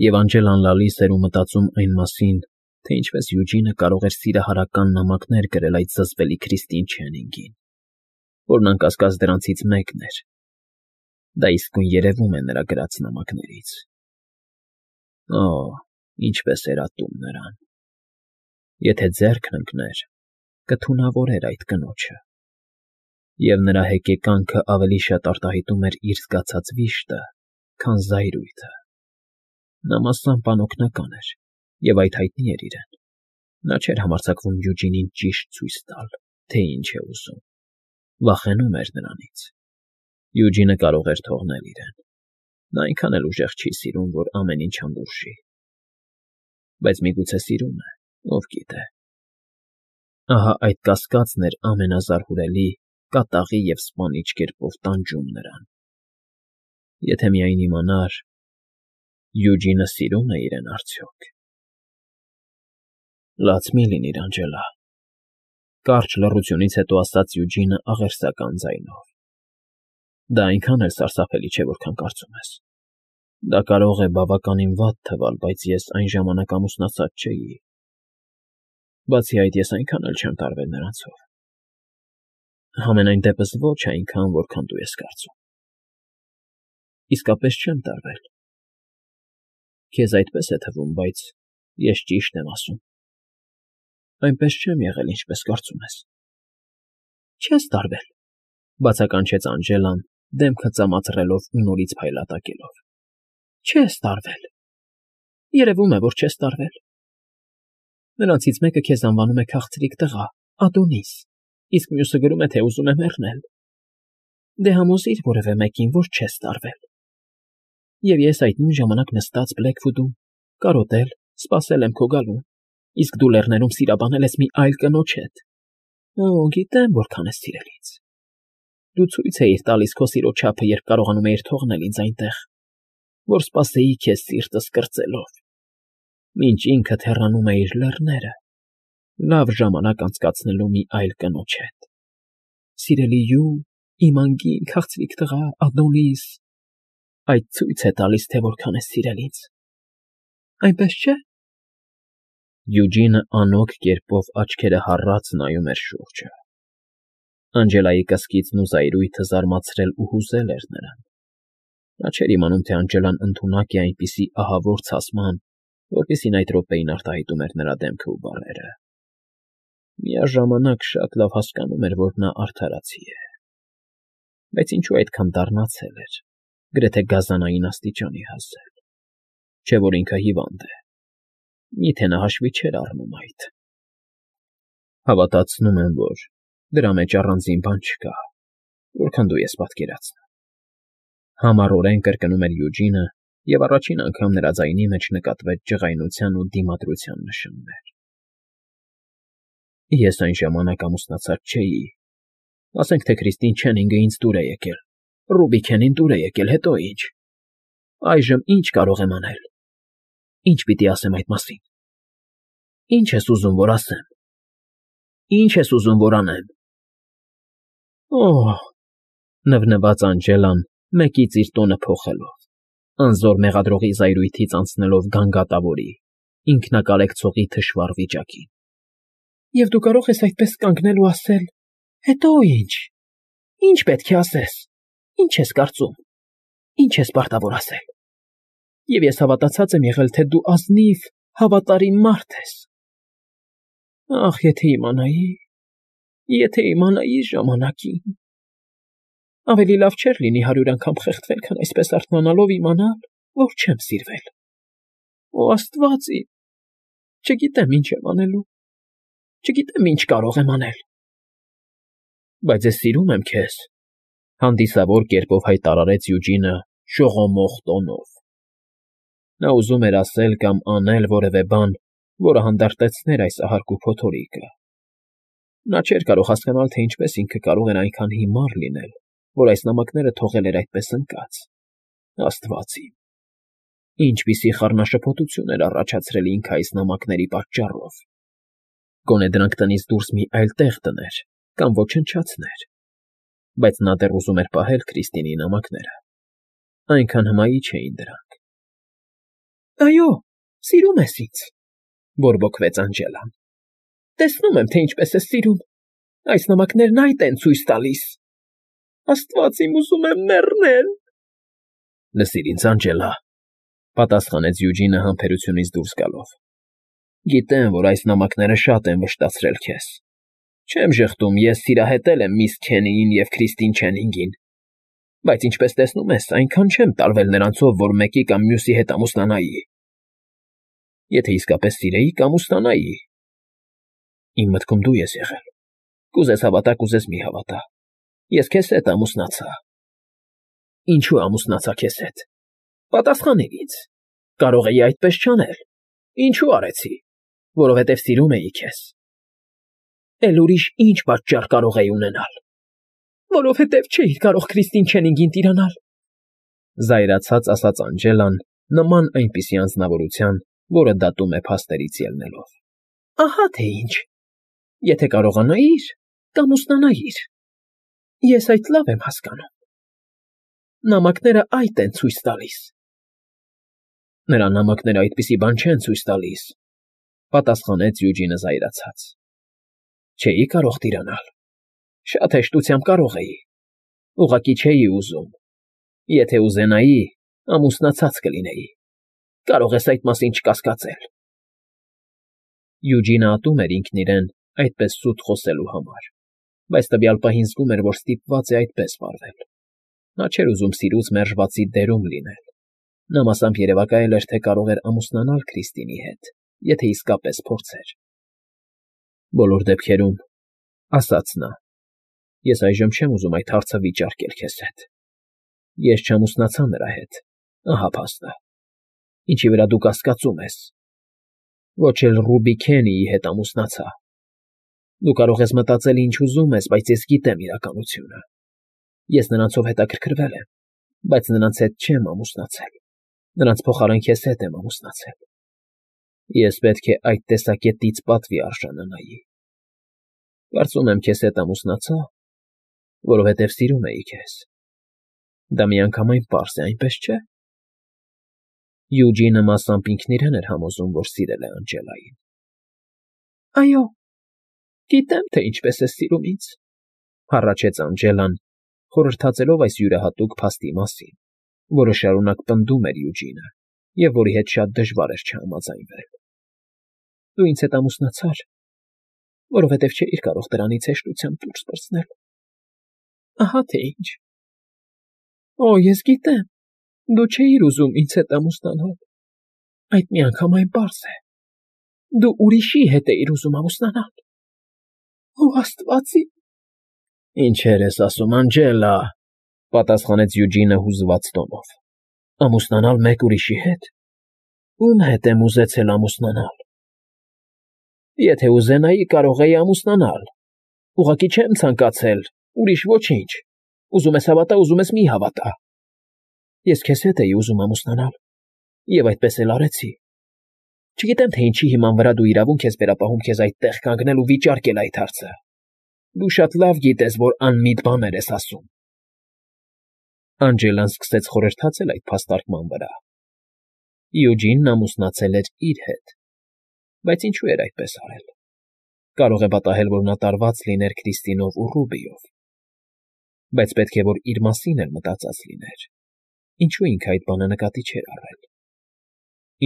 Եվ Անջելան լալիս էր ու մտածում այն մասին, թե ինչպես Յուջինը կարող էր սիրահարական նամակներ գրել այդ զզվելի Քրիստին Չեննինգին, որն անկասկած դրանցից մեկն էր. դա իսկույն երևում է նրա գրած նամակներից։ Օ, ինչպես էր ատում նրան։ Եթե ձեռքն ընկներ, կթունավորեր այդ կնոջը, և նրա հեկեկանքը ավելի շատ արտահայտում էր իր զգացած վիշտը, քան զայրույթը։ Նա մասամբ անօգնական էր, և այդ հայտնի էր իրեն։ Նա չէր համարձակվում Յուջինին ճիշտ ցույց տալ, թե ինչ է ուզում, վախենում էր նրանից։ Յուջինը կարող էր թողնել իրեն։ Նա այնքան էլ ուժեղ չի սիրում, որ ամեն ինչ հանդուրժի։ Բայց միգուցե սիրում է, ով գիտե։ Ահա այդ կասկածն էր ամենազարհուրելի, կատաղի և սպանիչ կերպով տանջում նրան։ Եթե միայն իմանար… Յուջինը սիրո՞ւմ է իրեն արդյոք։ Լաց մի՛ լինիր, Անջելա,֊ կարճ լռությունից հետո ասաց Յուջինը աղերսական ձայնով։ Դա այնքան էլ սարսափելի չէ, որքան կարծում ես։ Դա կարող է բավականին վատ թվալ, բայց ես այն ժամանակ ամուսնացած չէի։ Բացի այդ, ես այնքան էլ չեմ տարվել նրանցով։ Համենայն դեպս ոչ այնքան, որքան դու ես կարծում։ Իսկապես չեմ տարվել։ Քեզ այդպես է թվում, բայց ես ճիշտ եմ ասում։ Այնպես չեմ եղել, ինչպես կարծում ես։ Չես տարվել,֊ բացականչեց Անջելան, դեմքը ծամածռելով ու նորից փայլատակելով։ Չես տարվել։ Երևում է, որ չես տարվել։ Նրանցից մեկը քեզ անվանում է քաղցրիկ տղա, Ադոնիս, իսկ մյուսը գրում է, թե ուզում է մեռնել։ Դե համոզիր որևէ մեկին, որ չես տարվել։ Եվ ես այդ նույն ժամանակ նստած Բլեքվուդում, կարոտել, սպասել եմ քո գալուն, իսկ դու լեռներում սիրաբանել ես մի այլ կնոջ հետ։ Օ, գիտեմ, որքան ես սիրելից։ Դու ցույց էիր տալիս քո սիրո չափը, երբ կարողանում էիր թողնել ինձ այնտեղ, որ սպասեի քեզ սիրտս կրծելով, մինչ ինքդ հեռանում էիր լեռները, լավ ժամանակ անցկացնելու մի այլ կնոջ հետ։ Սիրելի Յուը, իմ անգին քաղցրիկ տղա, Ադոնիս, այդ ցույց է տալիս, թե որքան ես սիրել ինձ։ Այնպես չէ՞։ Յուջինը անոք կերպով աչքերը հառած նայում էր շուրջը։ Անջելայի կսկիծն ու զայրույթը զարմացրել ու հուզել էր նրան։ Նա չէր իմանում, թե Անջելան ընդունակ է այնպիսի ահավոր ցասման, որպիսին այդ րոպեին արտահայտում էր նրա դեմքը ու բառերը։ Միաժամանակ շատ լավ հասկանում էր, որ նա արդարացի է։ Բայց ինչու այդքան դառնացել էր, գրեթե գազանային աստիճանի հասել։ Չէ՞ որ ինքը հիվանդ է։ Միթե նա հաշվի չէր առնում այդ։ Հավատացնում եմ, որ դրա մեջ առանձին բան չկա, որքան դու ես պատկերացնում։ Համառորեն կրկնում էր Յուջինը, և առաջին անգամ նրա ձայնի մեջ նկատվեց ջղայնության ու դիմադրության նշաններ։ Ես այն ժամանակ ամուսնացած չէի։ Ասենք թե Քրիստին Չեննինգը ինձ դուր է եկել, Ռուբիքենին դուր է եկել, հետո ի՞նչ։ Այժմ ի՞նչ կարող եմ անել։ Ի՞նչ պիտի ասեմ այդ մասին։ Ի՞նչ ես ուզում, որ ասեմ։ Ի՞նչ ես ուզում, որ անեմ։ Օհ…֊ նվնվաց Անջելան, մեկից իր տոնը փոխելով, անզոր մեղադրողի զայրույթից անցնելով գանգատավորի, ինքնակարեկցողի թշվառ վիճակին։ Եվ դու կարող ես այդպես կանգնել ու ասել. «Հետո ի՞նչ։ Ի՞նչ պետք է ասես։ Ի՞նչ ես կարծում։ Ի՞նչ ես պարտավոր ասել։ Եվ ես հավատացած եմ եղել, թե դու ազնիվ, հավատարիմ մարդ ես։ Ախ, եթե իմանայի ժամանակին… Ավելի լավ չէր լինի 100 անգամ խեղդվել, քան այսպես արթնանալով իմանալ, որ չեմ սիրվել։ Օ, Աստված իմ… Չգիտեմ ինչ եմ անելու։ Չգիտեմ ինչ կարող եմ անել։ Բայց ես սիրում եմ քեզ,֊ հանդիսավոր կերպով հայտարարեց Յուջինը շողոմող տոնով։ Նա ուզում էր ասել կամ անել որևէ բան, որը հանդարտեցներ այս ահարկու փոթորիկը։ Նա չէր կարող հասկանալ, թե ինչպես ինքը կարող էր այնքան հիմար լինել, որ այս նամակները թողել էր այդպես ընկած։ Աստված իմ… Ինչպիսի խառնաշփոթություն էր առաջացրել ինքը այս նամակների պատճառով։ Գոնե դրանք տնից դուրս մի այլ տեղ դներ կամ ոչնչացներ։ Բայց նա դեռ ուզում էր պահել Քրիստինի նամակները։ Այնքան հմայիչ էին դրանք։ Այո, սիրում ես ինձ, բորբոքվեց Անջելան։ Տեսնում եմ, թե ինչպես ես սիրում։ Այս նամակներն այդ են ցույց տալիս։ Աստված իմ, ուզում եմ մեռնել։ Լսիր ինձ, Անջելա, պատասխանեց Յուջինը համբերությունից դուրս գալով։ Գիտեմ, որ այս նամակները շատ են վշտացրել քեզ։ Չեմ ժխտում, ես սիրահետել եմ միս Քենիին և Քրիստին Չենինգին, բայց ինչպես տեսնում ես, այնքան չեմ տարվել նրանցով, որ մեկի կամ մյուսի հետ ամուսնանայի։ Եթե իսկապես սիրեի, կամուսնանայի։ Իմ մտքում դու ես եղել։ Կուզես հավատա, կուզես մի հավատա։ Ես քեզ հետ ամուսնացա։ Ինչու ամուսնացա քեզ հետ։ Պատասխանիր ինձ։ Կարող էի այդպես չանել։ Ինչու արեցի։ Որովհետև սիրում էի քեզ։ Էլ ուրիշ ինչ պատճառ կարող էի ունենալ։ Որովհետև չէի կարող Քրիստին Չենինգին տիրանալ։ Զայրացած ասաց Անջելան, նման այնպիսի անձնավորության, որը դատում է փաստերից ելնելով։ Ահա թե ինչ։ Եթե կարողանայիր, կամուսնանայիր։ Ես այդ լավ եմ հասկանում։ Նամակները այդ են ցույց տալիս։ Նրա նամակները այդպիսի բան չեն ցույց տալիս, պատասխանեց Յուջինը զայրացած։ Չէի կարող տիրանալ։ Շատ հեշտությամբ կարող էի։ Ուղղակի չէի ուզում։ Եթե ուզենայի, ամուսնացած կլինեի։ Կարող ես այդ մասին չկասկածել։ Յուջինը ատում էր ինքն իրեն այդպես սուտ խոսելու համար, բայց տվյալ պահին զգում էր, որ ստիպված է այդպես վարվել։ Նա չէր ուզում սիրուց մերժվածի դերում լինել։ Նա մասամբ երևակայել էր, թե կարող էր ամուսնանալ Քրիստինի հետ, եթե իսկապես փորձեր։ Բոլոր դեպքերում, ասաց նա, ես այժմ չեմ ուզում այդ հարցը վիճարկել քեզ հետ։ Ես չամուսնացա նրա հետ, ահա փաստը։ Ինչի վրա դու կասկածում ես։ Ոչ էլ Ռուբի Քենիի հետ ամուսնացա։ Դու կարող ես մտածել ինչ ուզում ես, բայց ես գիտեմ իրականությունը։ Ես նրանցով հետաքրքրվել եմ, բայց նրանց հետ չեմ ամուսնացել։ Նրանց փոխարեն քեզ հետ եմ ամուսնացել։ Ես պետք է այդ տեսակետից պատվի արժանանայի։ Կարծում եմ քեզ հետ ամուսնացա, որովհետև սիրում էի քեզ։ Դա միանգամայն պարզ է, այնպես չէ։ Յուջինը մասամբ ինքն իրեն էր համոզում, որ սիրել է Անջելային։ Այո, գիտեմ, թե ինչպես ես սիրում ինձ, հառաչեց Անջելան, խորհրդածելով այս յուրահատուկ փաստի մասին, որը շարունակ պնդում էր Յուջինը և որի հետ շատ դժվար էր չհամաձայնվել։ Դու ինձ հետ ամուսնացար, որովհետև չէիր կարող դրանից հեշտությամբ դուրս պրծնել։ Ահա թե ինչ։ Օ, ես գիտեմ, դու չէիր ուզում ինձ հետ ամուսնանալ։ Այդ միանգամայն պարզ է։ Դու ուրիշի հետ էիր ուզում ամուսնանալ։ Օ, Աստվածի։ Ինչեր ես ասում, Անջելա, պատասխանեց Յուջինը հուզված տոնով։ Ամուսնանալ մեկ ուրիշի հետ։ Ում հետ եմ ուզեցել ամուսնանալ։ Եթե ուզենայի, կարող էի ամուսնանալ։ Ուղղակի չեմ ցանկացել, ուրիշ ոչինչ։ Ուզում ես հավատա, ուզում ես մի հավատա։ Ես քեզ հետ էի ուզում ամուսնանալ, և այդպես էլ արեցի։ Չգիտեմ, թե ինչի հիման վրա դու իրավունք ես վերապահում քեզ այդտեղ կանգնել ու վիճարկել այդ հարցը։ Դու շատ լավ գիտես, որ անմիտ բաներ ես ասում։ Անջելան սկսեց խորհրդացել այդ փաստարկման վրա։ Յուջինն ամուսնացել էր իր հետ, բայց ինչու էր այդպես արել։ Կարող է պատահել, որ նա տարված լիներ Քրիստինով ու Ռուբիով։ Բայց պետք է, որ իր մասին էլ մտածած լիներ։ Ինչու ինքը այդ բանը նկատի չէր առել։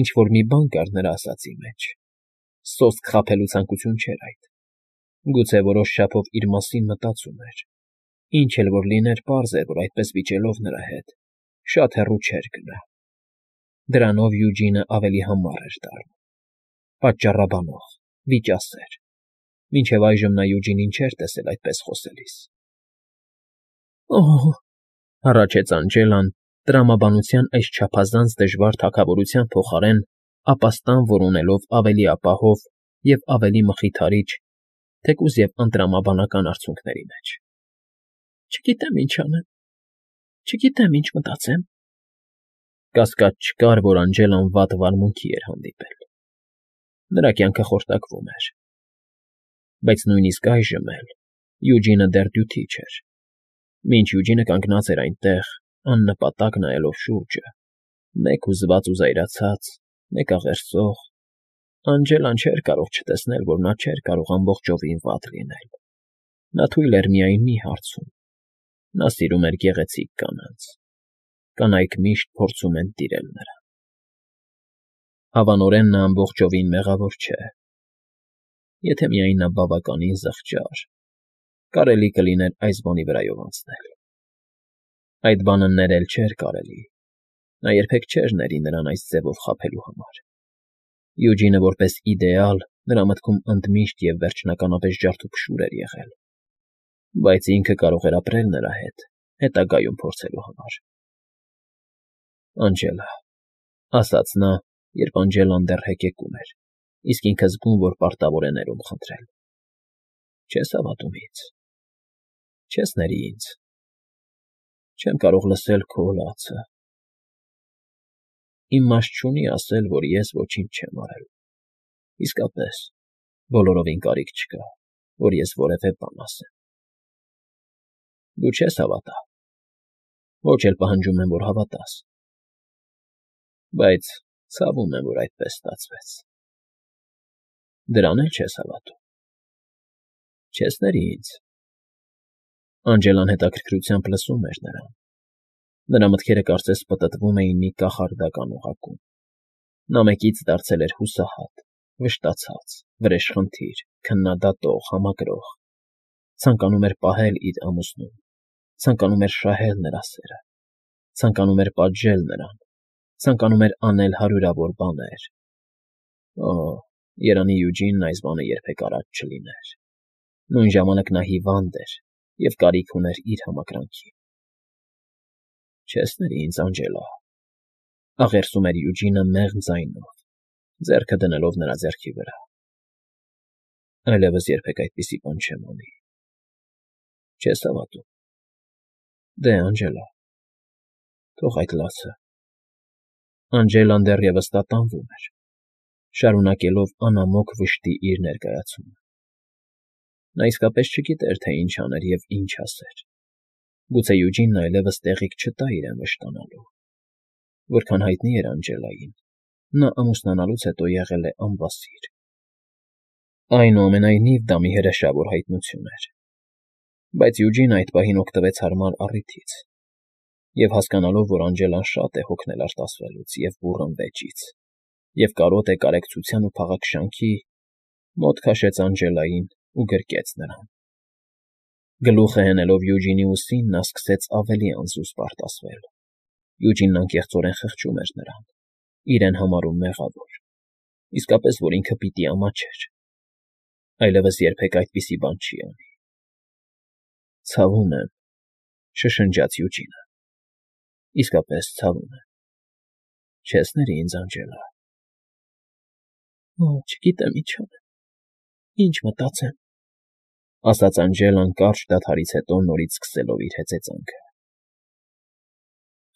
Ինչ-որ մի բան կար նրա ասածի մեջ։ Սոսկ խաբելու ցանկություն չէր այդ։ Գուցե որոշ չափով իր մասին մտածում էր։ Ինչ էլ որ լիներ, պարզ էր, որ այդպես վիճելով նրա հետ շատ հեռու չէր գնա։ Դրանով Յուջինը ավելի համառ էր դառնում։ Պատճառաբանող, վիճասեր։ Մինչև այժմ նա Յուջինին չէր տեսել այդպես խոսելիս։ Օհ, հառաչեց Անջելան, տրամաբանության այս չափազանց դժվար թագավորության փոխարեն ապաստան որոնելով ավելի ապահով և ավելի մխիթարիչ, թեկուզ և ընտրամաբանական արդյունքների մեջ։ Չգիտեմ ինչ անեմ, չգիտեմ ինչ մտածեմ։ Կասկած չկար, որ Անջելան վատ վարմունքի էր հանդիպել։ Նրա կյանքը խորտակվում էր։ Բայց նույնիսկ այժմ էլ Յուջինը դեռ դյութի չէր։ Մինչ Յուջինը կանգնած էր այնտեղ, աննպատակ նայելով շուրջը, մեկ հուզված ու զայրացած, Մեկաղերսող, Անջելան չէր կարող չտեսնել, որ նա չէր կարող ամբողջովին վատ լինել. նա թույլ էր միայն մի հարցում. նա սիրում էր գեղեցիկ կանանց, կանայք միշտ փորձում են տիրել նրան։ Հավանորեն նա ամբողջովին մեղավոր չէ, եթե միայն նա բավականին զղջար, կարելի կլիներ այս բանի վրայով անցնել։ Այդ բանը ներել չէր կարելի, նա երբեք չէր ների նրան այս ձևով խաբելու համար։ Յուջինը որպես իդեալ նրա մտքում ընդմիշտ և վերջնականապես ջարդուփշուր էր եղել, բայց ինքը կարող էր ապրել նրա հետ, հետագայում փորձելու համար։ Անջելա, ասաց նա, երբ Անջելան դեռ հեկեկում էր, իսկ ինքը զգում, որ պարտավոր է ներում խնդրել, չես հավատում ինձ, չես ների ինձ, չեմ կարող լսել քո լացը, իմաստ չունի ասել, որ ես ոչինչ չեմ արել, իսկապես, բոլորովին կարիք չկա, որ ես որևէ բան ասեմ։ Դու չես հավատա, ոչ էլ պահանջում եմ, որ հավատաս, բայց ցավում եմ, որ այդպես ստացվեց։ Դրան էլ չես հավատում, չես ների ինձ։ Անջելան հետաքրքրությամբ լսում էր նրան։ Նրա մտքերը կարծես պտտվում էին մի կախարդական օղակում։ Նա մեկից դարձել էր հուսահատ, վշտացած, վրեժխնդիր, քննադատող, համակրող, ցանկանում էր պահել իր ամուսնուն, ցանկանում էր շահել նրա սերը, ցանկանում էր պատժել նրան, ցանկանում էր անել հարյուրավոր բաներ։ Օ, երանի Յուջինն այս բանը երբեք արած չլիներ։ Նույն ժամանակ նա հիվանդ էր և կարիք ուներ իր համակրանքի։ Չես ների ինձ, Անջելա, աղերսում էր Յուջինը մեղմ ձայնով, ձեռքը դնելով նրա ձեռքի վրա։ Այլևս երբեք այդպիսի բան չեմ անի։ Չես հավատում։ Դե, Անջելա, թող այդ լացը։ Անջելան դեռևս տատանվում էր, շարունակելով անամոք վշտի իր ներկայացումը։ Նա իսկապես չգիտեր, թե ինչ աներ և ինչ ասեր։ Գուցե Յուջինն այլևս տեղիք չտա իրեն վշտանալու։ Որքան հայտնի էր Անջելային, նա ամուսնանալուց հետո եղել է անվասիր։ Այնուամենայնիվ դա մի հրեշավոր հայտնություն էր։ Բայց Յուջինը այդ պահին օգտվեց հարմար առիթից և հասկանալով, որ Անջելան շատ է հոգնել արտասվելուց և բուռն վեճից, և կարոտ է կարեկցության ու փաղաքշանքի, մոտ քաշեց Անջելային ու գրկեց նրան։ Գլուխը հենելով Յուջինի ուսին, նա սկսեց ավելի անզուսպ արտասվել։ Յուջինն անկեղծորեն խղճում էր նրան, իրեն համարում մեղավոր, իսկապես, որ ինքը պիտի ամաչեր։ Այլևս երբեք այդպիսի բան չի անի։ Ցավում եմ, շշնջաց Յուջինը, իսկապես ցավում եմ։ Չես ների ինձ, Անջելա։ Օ, չգիտեմ ինչ անեմ, ինչ մտածեմ, ասաց Անջելան կարճ դադարից հետո նորից սկսելով իր հեծեծանքը։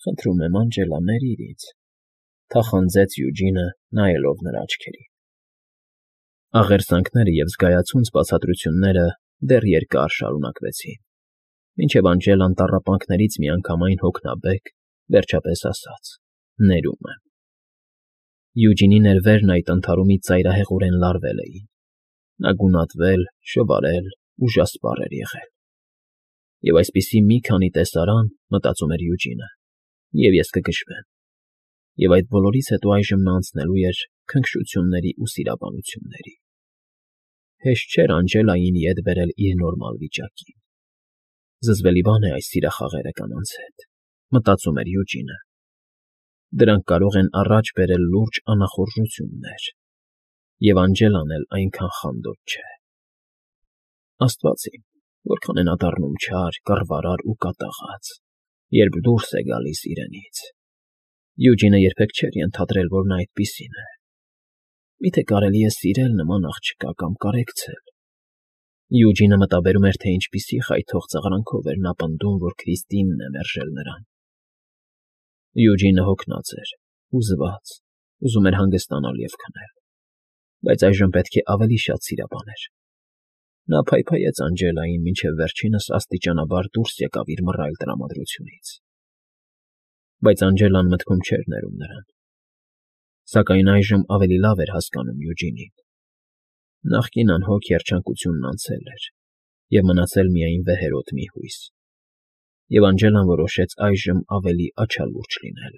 Խնդրում եմ, Անջելա, ներիր ինձ, թախանձեց Յուջինը, նայելով նրա աչքերին։ Աղերսանքները և զգայացունց բացատրությունները դեռ երկար շարունակվեցին, մինչև Անջելան տառապանքներից միանգամայն հոգնաբեկ վերջապես ասաց. ներում եմ։ Յուջինի ներվերն այդ ընդհարումից ծայրահեղորեն լարվել էին։ Նա գունատվել, շվարել, ուժասպառ էր եղել։ Եվ այսպիսի մի քանի տեսարան, մտածում էր Յուջինը, և ես կգժվեմ։ Եվ այդ բոլորից հետո այժմ նա անցնելու էր քնքշությունների ու սիրաբանությունների։ Հեշտ չէր Անջելային ետ բերել իր նորմալ վիճակին։ Զզվելի բան է այս սիրախաղերը կանանց հետ, մտածում էր Յուջինը։ Դրանք կարող են առաջ բերել լուրջ անախորժություններ, և Անջելան էլ այնքան խանդոտ չէ։ Աստված իմ, որքան է նա դառնում չար, կռվարար ու կատաղած, երբ դուրս է գալիս իրենից։ Յուջինը երբեք չէր ենթադրել, որ նա այդպիսին է։ Միթե կարելի է սիրել նման աղջկա կամ կարեկցել։ Յուջինը մտաբերում էր, թե ինչպիսի խայթող ծաղրանքով էր նա պնդում, որ Քրիստինն է մերժել նրան։ Յուջինը հոգնած էր, հուզված, ուզում էր հանգստանալ և քնել, բայց այժմ պետք է ավելի շատ սիրաբաներ։ Նա փայփայեց Անջելային, մինչև վերջինս աստիճանաբար դուրս եկավ իր մռայլ տրամադրությունից։ Բայց Անջելան մտքում չէր ներում նրան։ Սակայն այժմ ավելի լավ էր հասկանում Յուջինին. նախկին անհոգ երջանկությունն անցել էր, և մնացել միայն վեհերաս մի հույս, և Անգելան որոշեց այժմ ավելի աչալուրջ լինել։